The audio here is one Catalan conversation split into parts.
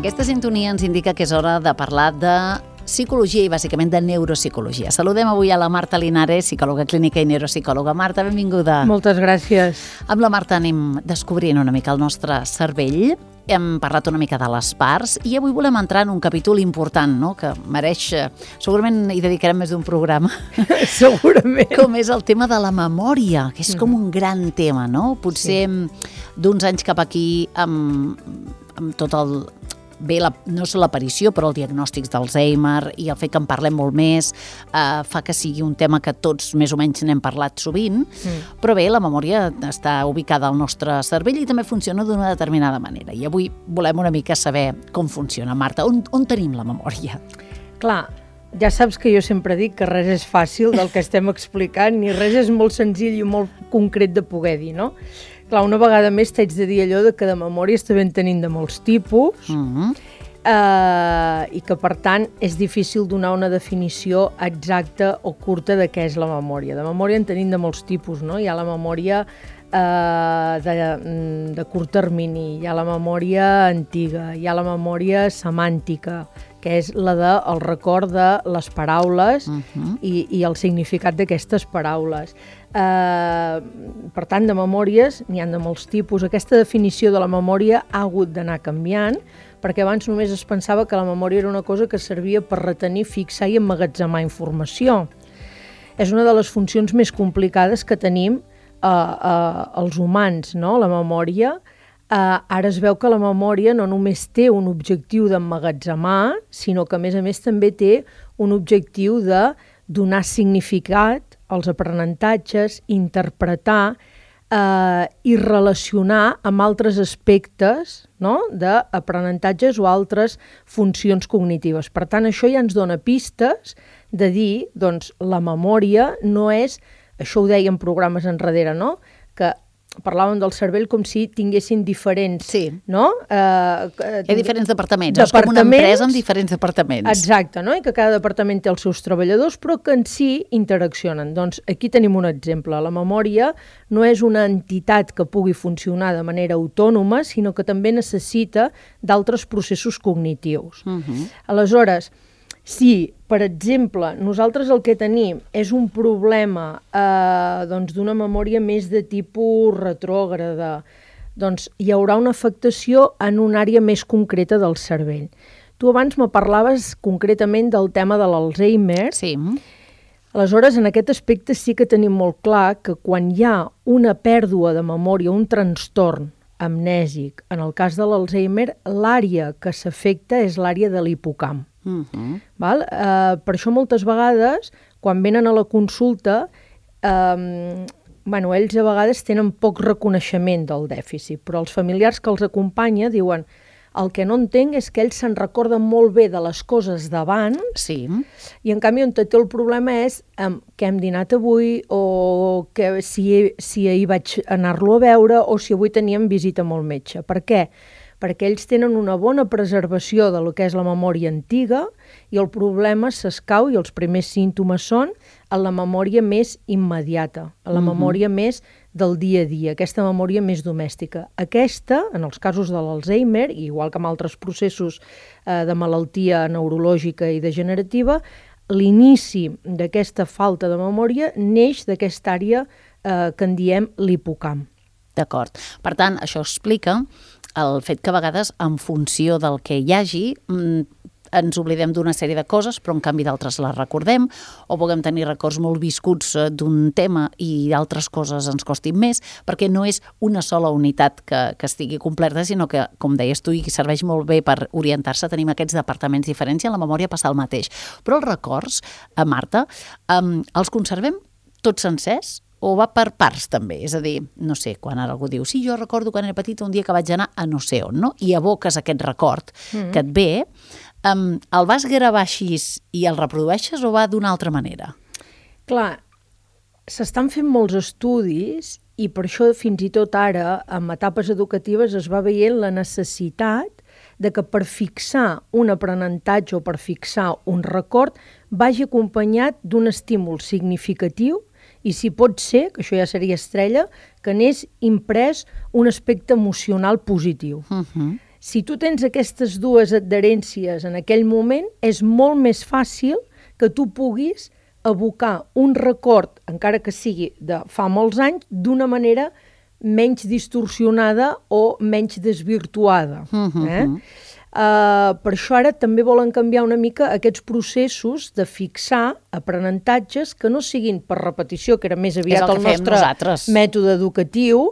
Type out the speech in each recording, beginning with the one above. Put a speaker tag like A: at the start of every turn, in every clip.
A: Aquesta sintonia ens indica que és hora de parlar de psicologia i bàsicament de neuropsicologia. Saludem avui a la Marta Linares, psicòloga clínica i neuropsicòloga. Marta, benvinguda.
B: Moltes gràcies.
A: Amb la Marta anem descobrint una mica el nostre cervell. Hem parlat una mica de les parts i avui volem entrar en un capítol important, no?, que mereix, segurament hi dedicarem més d'un programa.
B: Segurament.
A: Com és el tema de la memòria, que és com un gran tema, no? Potser d'uns anys cap aquí, amb tot el... Bé, no és l'aparició, però el diagnòstic d'Alzheimer i el fet que en parlem molt més fa que sigui un tema que tots més o menys n'hem parlat sovint, però bé, la memòria està ubicada al nostre cervell i també funciona d'una determinada manera. I avui volem una mica saber com funciona. Marta, on tenim la memòria?
B: Clar, ja saps que jo sempre dic que res és fàcil del que estem explicant, ni res és molt senzill i molt concret de poder dir, no? Clar, una vegada més t'haig de dir allò de que de memòria estem tenint de molts tipus i que, per tant, és difícil donar una definició exacta o curta de què és la memòria. De memòria en tenim de molts tipus, no? Hi ha la memòria de curt termini, hi ha la memòria antiga, hi ha la memòria semàntica, que és la del record de les paraules i el significat d'aquestes paraules. Per tant, de memòries n'hi ha de molts tipus. Aquesta definició de la memòria ha hagut d'anar canviant, perquè abans només es pensava que la memòria era una cosa que servia per retenir, fixar i emmagatzemar informació. És una de les funcions més complicades que tenim els humans, no? La memòria. Ara es veu que la memòria no només té un objectiu d'emmagatzemar, sinó que, a més, també té un objectiu de donar significat als aprenentatges, interpretar i relacionar amb altres aspectes, no?, d'aprenentatges o altres funcions cognitives. Per tant, això ja ens dona pistes de dir, doncs, la memòria no és, això ho dèiem programes enrere, no?, que parlàvem del cervell com si tinguessin diferents, no?
A: Hi ha diferents departaments, és com una empresa amb diferents departaments.
B: Exacte, no? I que cada departament té els seus treballadors, però que en si interaccionen. Doncs aquí tenim un exemple. La memòria no és una entitat que pugui funcionar de manera autònoma, sinó que també necessita d'altres processos cognitius. Aleshores, si, per exemple, nosaltres el que tenim és un problema d'una memòria més de tipus retrògrada, doncs hi haurà una afectació en una àrea més concreta del cervell. Tu abans me parlaves concretament del tema de l'Alzheimer.
A: Sí.
B: Aleshores, en aquest aspecte sí que tenim molt clar que quan hi ha una pèrdua de memòria, un trastorn amnèsic, en el cas de l'Alzheimer, l'àrea que s'afecta és l'àrea de l'hipocamp. Per això moltes vegades, quan venen a la consulta, ells a vegades tenen poc reconeixement del dèficit, però els familiars que els acompanya diuen el que no entenc és que ells se'n recorden molt bé de les coses d'abans i en canvi on té el problema és què hem dinat avui o que si ahir vaig anar-lo a veure o si avui teníem visita amb el metge. Per què? Perquè ells tenen una bona preservació de lo que és la memòria antiga i el problema s'escau i els primers símptomes són en la memòria més immediata, en la memòria més del dia a dia, aquesta memòria més domèstica. Aquesta, en els casos de l'Alzheimer, igual que en altres processos de malaltia neurològica i degenerativa, l'inici d'aquesta falta de memòria neix d'aquesta àrea que en diem l'hipocamp.
A: D'acord. Per tant, això explica el fet que a vegades, en funció del que hi hagi, ens oblidem d'una sèrie de coses, però en canvi d'altres les recordem, o puguem tenir records molt viscuts d'un tema i d'altres coses ens costin més, perquè no és una sola unitat que estigui completa, sinó que, com deies tu, i serveix molt bé per orientar-se, tenim aquests departaments diferents i en la memòria passa el mateix. Però els records, Marta, els conservem tots sencers? O va per parts també? És a dir, no sé, quan ara algú diu sí, jo recordo quan era petita un dia que vaig anar a no sé on, no? I evoques aquest record que et ve, el vas gravar així i el reprodueixes o va d'una altra manera?
B: Clar, s'estan fent molts estudis i per això fins i tot ara, en etapes educatives, es va veient la necessitat de que per fixar un aprenentatge o per fixar un record vagi acompanyat d'un estímul significatiu i si pot ser, que això ja seria estrella, que n'és imprès un aspecte emocional positiu. Si tu tens aquestes dues adherències en aquell moment, és molt més fàcil que tu puguis evocar un record, encara que sigui de fa molts anys, d'una manera menys distorsionada o menys desvirtuada. Per això ara també volen canviar una mica aquests processos de fixar aprenentatges que no siguin per repetició, que era més aviat el nostre mètode educatiu,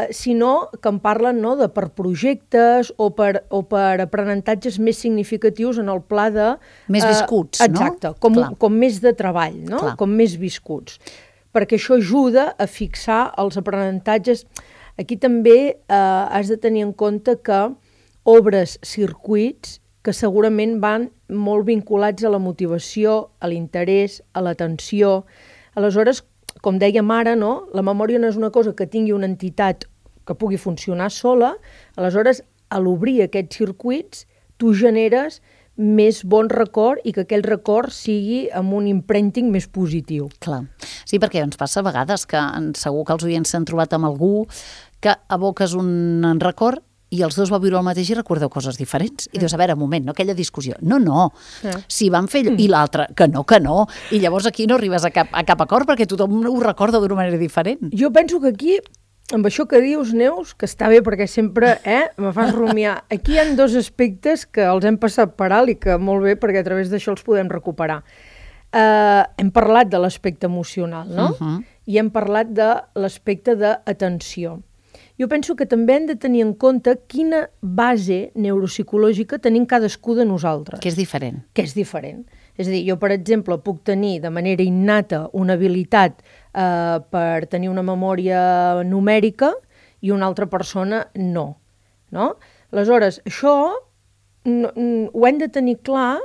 B: sinó que en parlen de per projectes o per aprenentatges més significatius en el pla de...
A: Més viscuts,
B: exacte, com més de treball, com més viscuts. Perquè això ajuda a fixar els aprenentatges. Aquí també has de tenir en compte que obres circuits que segurament van molt vinculats a la motivació, a l'interès, a l'atenció. Aleshores, com dèiem ara, la memòria no és una cosa que tingui una entitat que pugui funcionar sola, aleshores, a l'obrir aquests circuits, tu generes més bon record i que aquell record sigui amb un imprinting més positiu.
A: Clar. Sí, perquè ens passa a vegades que segur que els oients s'han trobat amb algú que aboques un record i els dos vau viure el mateix i recordeu coses diferents. I dius, a veure, un moment, aquella discussió. No, si van fer allò, i l'altre, que no. I llavors aquí no arribes a cap acord perquè tothom ho recorda d'una manera diferent.
B: Jo penso que aquí, amb això que dius, Neus, que està bé perquè sempre me fas rumiar, aquí hi ha dos aspectes que els hem passat per alt i que molt bé perquè a través d'això els podem recuperar. Hem parlat de l'aspecte emocional, no? I hem parlat de l'aspecte d'atenció. Jo penso que també hem de tenir en compte quina base neuropsicològica tenim cadascú de nosaltres.
A: Que és diferent.
B: És a dir, jo, per exemple, puc tenir de manera innata una habilitat per tenir una memòria numèrica i una altra persona no. Aleshores, això ho hem de tenir clar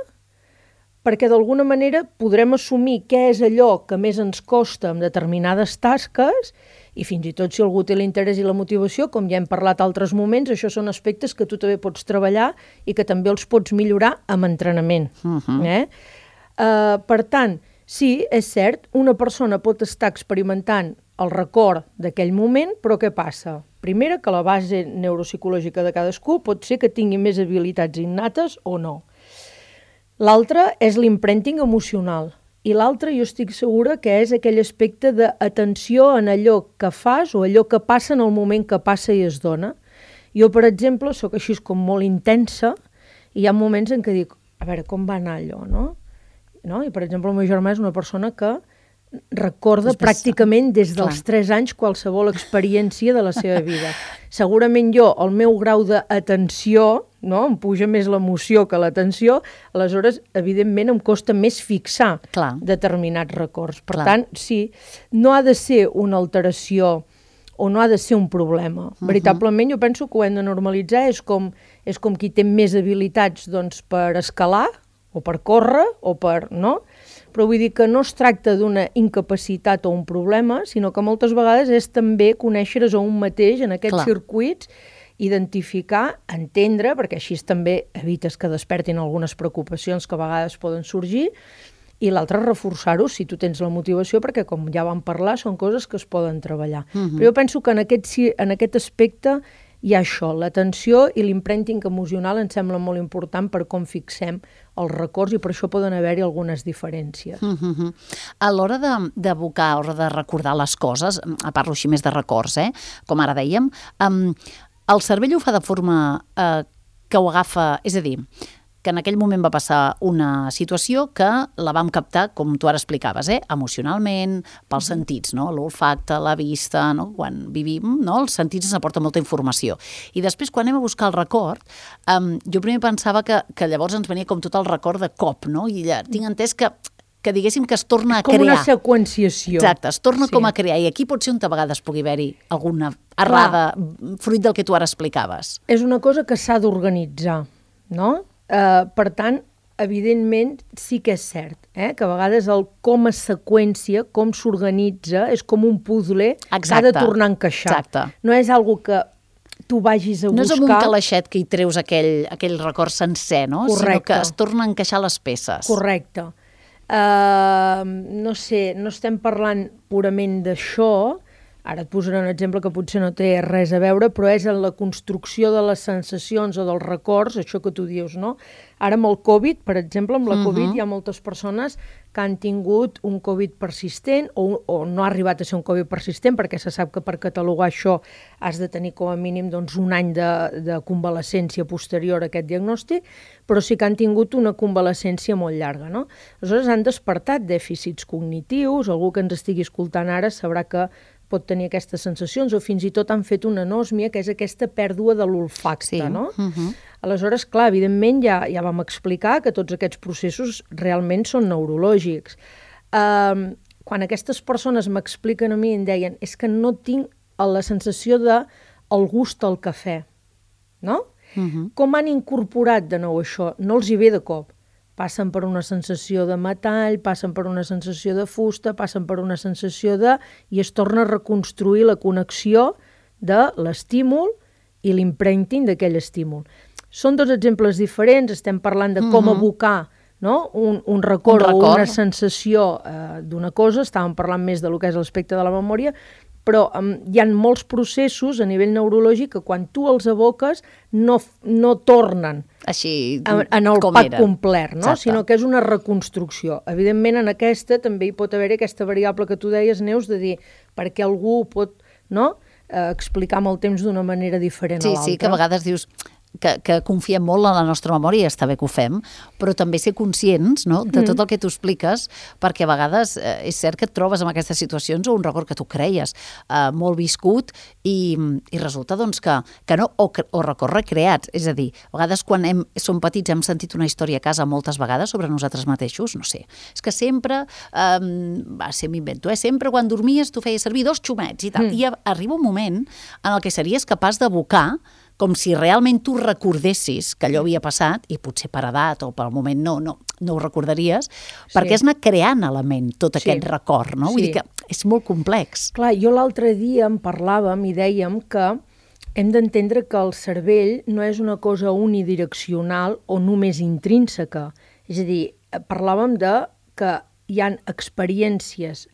B: perquè d'alguna manera podrem assumir què és allò que més ens costa en determinades tasques i fins i tot si algú té l'interès i la motivació, com ja hem parlat altres moments, això són aspectes que tu també pots treballar i que també els pots millorar amb entrenament. Per tant, sí, és cert, una persona pot estar experimentant el record d'aquell moment, però què passa? Primera, que la base neuropsicològica de cadascú pot ser que tingui més habilitats innates o no. L'altre és l'imprinting emocional. I l'altre jo estic segura que és aquell aspecte d'atenció en allò que fas o allò que passa en el moment que passa i es dona. Jo, per exemple, sóc així com molt intensa i hi ha moments en què dic, a veure, com va anar allò, no? I, per exemple, el meu germà és una persona que recorda pràcticament des dels 3 anys qualsevol experiència de la seva vida. Segurament jo, el meu grau d'atenció, em puja més l'emoció que l'atenció, aleshores, evidentment, em costa més fixar determinats records. Per tant, sí, no ha de ser una alteració o no ha de ser un problema. Veritablement, jo penso que ho hem de normalitzar, és com qui té més habilitats per escalar, o per córrer, o per... Però vull dir que no es tracta d'una incapacitat o un problema, sinó que moltes vegades és també conèixer-se a un mateix en aquests circuits, identificar, entendre, perquè així també evites que despertin algunes preocupacions que a vegades poden sorgir, i l'altre reforçar-ho si tu tens la motivació, perquè com ja vam parlar, són coses que es poden treballar. Però jo penso que en aquest aspecte hi ha això, l'atenció i l'imprinting emocional em sembla molt important per com fixem els records i per això poden haver-hi algunes diferències.
A: A l'hora d'evocar o de recordar les coses, parlo així més de records, com ara dèiem, el cervell ho fa de forma que ho agafa, és a dir, que en aquell moment va passar una situació que la vam captar, com tu ara explicaves, emocionalment, pels sentits, l'olfacte, la vista, quan vivim, els sentits ens aporten molta informació. I després, quan anem a buscar el record, jo primer pensava que llavors ens venia com tot el record de cop, i tinc entès que diguéssim que es torna a crear.
B: Com una seqüenciació.
A: Exacte, es torna com a crear, i aquí pot ser on a vegades pugui haver-hi alguna errada fruit del que tu ara explicaves.
B: És una cosa que s'ha d'organitzar, no? Per tant, evidentment, sí que és cert, que a vegades el com es seqüència, com s'organitza, és com un puzzle que ha de tornar a encaixar.
A: Exacte.
B: No és algo que tu vagis a buscar...
A: No és amb un calaixet que hi treus aquell record sencer, no? Sinó que es torna a encaixar les peces.
B: Correcte. No sé, no estem parlant purament d'això, Ara et posaré un exemple que potser no té res a veure, però és en la construcció de les sensacions o dels records, això que tu dius, no? Ara amb el Covid, per exemple, amb la Covid hi ha moltes persones que han tingut un Covid persistent o no ha arribat a ser un Covid persistent, perquè se sap que per catalogar això has de tenir com a mínim doncs, un any de convalescència posterior a aquest diagnòstic, però sí que han tingut una convalescència molt llarga, no? Aleshores han despertat dèficits cognitius, algú que ens estigui escoltant ara sabrà que pot tenir aquestes sensacions, o fins i tot han fet una anòsmia, que és aquesta pèrdua de l'olfacte, no? Aleshores, clar, evidentment ja vam explicar que tots aquests processos realment són neurològics. Quan aquestes persones m'expliquen a mi i em deien és que no tinc la sensació del gust al cafè, no? Com han incorporat de nou això? No els hi ve de cop. Passen per una sensació de metall, passen per una sensació de fusta, passen per una sensació i es torna a reconstruir la connexió de l'estímul i l'imprinting d'aquell estímul. Són dos exemples diferents, estem parlant de com abocar, no? un record o una sensació d'una cosa, estàvem parlant més de lo que és l'aspecte de la memòria, però hi ha molts processos a nivell neurològic que quan tu els aboques no tornen
A: així
B: en el pack complet, no? Sinó que és una reconstrucció. Evidentment, en aquesta també hi pot haver aquesta variable que tu deies, Neus, de dir perquè algú pot explicar amb el temps d'una manera diferent a l'altra.
A: Sí, que a vegades dius que confiem molt en la nostra memòria, i està bé que ho fem, però també ser conscients, no?, de tot el que tu expliques, perquè a vegades és cert que et trobes en aquestes situacions o un record que tu creies molt viscut i resulta doncs que no, o records recreats, és a dir, a vegades quan som petits hem sentit una història a casa moltes vegades sobre nosaltres mateixos, no sé, és que sempre, m'invento, sempre quan dormies tu feies servir 2 xumets i tal, i arriba un moment en el que series capaç d'abocar com si realment tu recordessis que allò havia passat, i potser per edat o pel moment no ho recordaries, perquè has anat creant a la ment tot aquest record, no? Vull dir que és molt complex.
B: Clar, jo l'altre dia en parlàvem i dèiem que hem d'entendre que el cervell no és una cosa unidireccional o només intrínseca. És a dir, parlàvem de que hi ha experiències,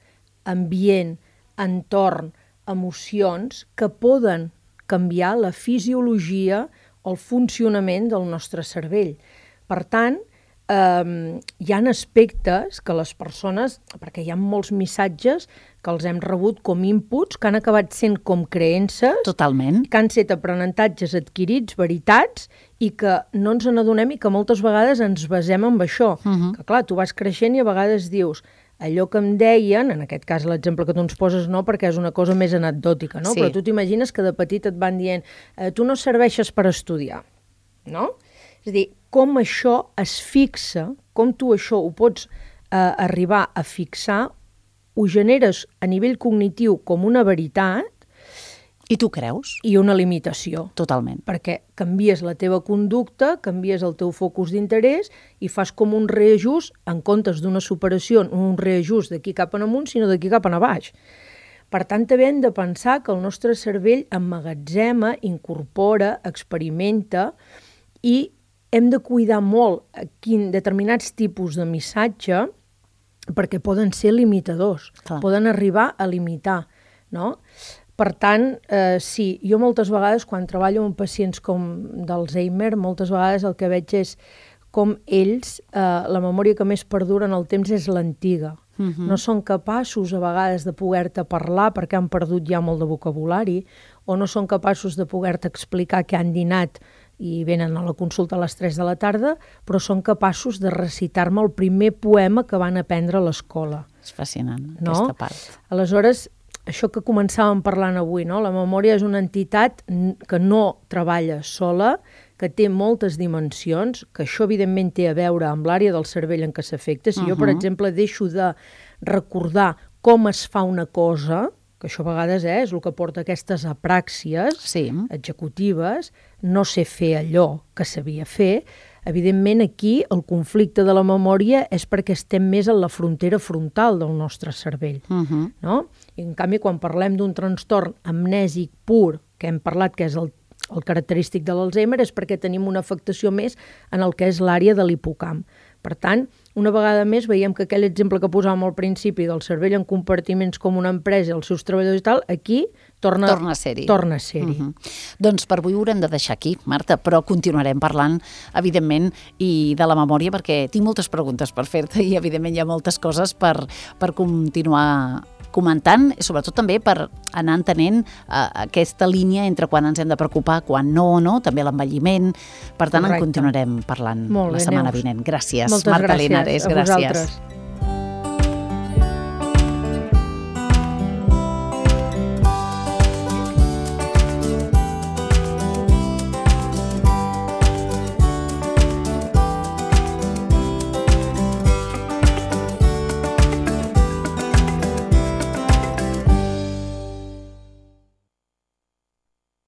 B: ambient, entorn, emocions que poden canviar la fisiologia o el funcionament del nostre cervell. Per tant, hi ha aspectes que les persones, perquè hi ha molts missatges que els hem rebut com inputs, que han acabat sent com creences,
A: totalment,
B: que han estat aprenentatges adquirits, veritats, i que no ens n'adonem i que moltes vegades ens basem en això. Que clar, tu vas creixent i a vegades dius allò que em deien, en aquest cas l'exemple que tu ens poses no, perquè és una cosa més anecdòtica, no? Però tu t'imagines que de petit et van dient tu no serveixes per estudiar, no? És a dir, com això es fixa, com tu això ho pots arribar a fixar, ho generes a nivell cognitiu com una veritat,
A: i tu creus?
B: I una limitació.
A: Totalment.
B: Perquè canvies la teva conducta, canvies el teu focus d'interès i fas com un reajust, en comptes d'una superació, un reajust d'aquí cap en amunt, sinó d'aquí cap en baix. Per tant, també hem de pensar que el nostre cervell emmagatzema, incorpora, experimenta i hem de cuidar molt determinats tipus de missatge perquè poden ser limitadors, poden arribar a limitar, no? Per tant, sí, jo moltes vegades, quan treballo amb pacients com d'Alzheimer, moltes vegades el que veig és com ells, la memòria que més perdura en el temps és l'antiga. No són capaços a vegades de poder-te parlar perquè han perdut ja molt de vocabulari, o no són capaços de poder-te explicar què han dinat i venen a la consulta a les 3 de la tarda, però són capaços de recitar-me el primer poema que van aprendre a l'escola.
A: És fascinant, aquesta part.
B: Aleshores, això que començàvem parlant avui, no? La memòria és una entitat que no treballa sola, que té moltes dimensions, que això evidentment té a veure amb l'àrea del cervell en què s'afecta. Si jo, per exemple, deixo de recordar com es fa una cosa, que això a vegades és el que porta aquestes apràxies executives, no sé fer allò que sabia fer, evidentment aquí el conflicte de la memòria és perquè estem més en la frontera frontal del nostre cervell. No? I en canvi, quan parlem d'un trastorn amnèsic pur, que hem parlat que és el característic de l'Alzheimer, és perquè tenim una afectació més en el que és l'àrea de l'hipocamp. Per tant, una vegada més veiem que aquell exemple que posàvem al principi del cervell en compartiments com una empresa, els seus treballadors i tal, aquí torna a ser-hi.
A: Doncs per avui ho haurem de deixar aquí, Marta, però continuarem parlant, evidentment, i de la memòria, perquè tinc moltes preguntes per fer-te i, evidentment, hi ha moltes coses per continuar comentant, i sobretot també per anar entenent aquesta línia entre quan ens hem de preocupar, quan no, també l'envelliment. Per tant, en continuarem parlant la setmana vinent. Gràcies, Marta Linares.
B: Gràcies a vosaltres.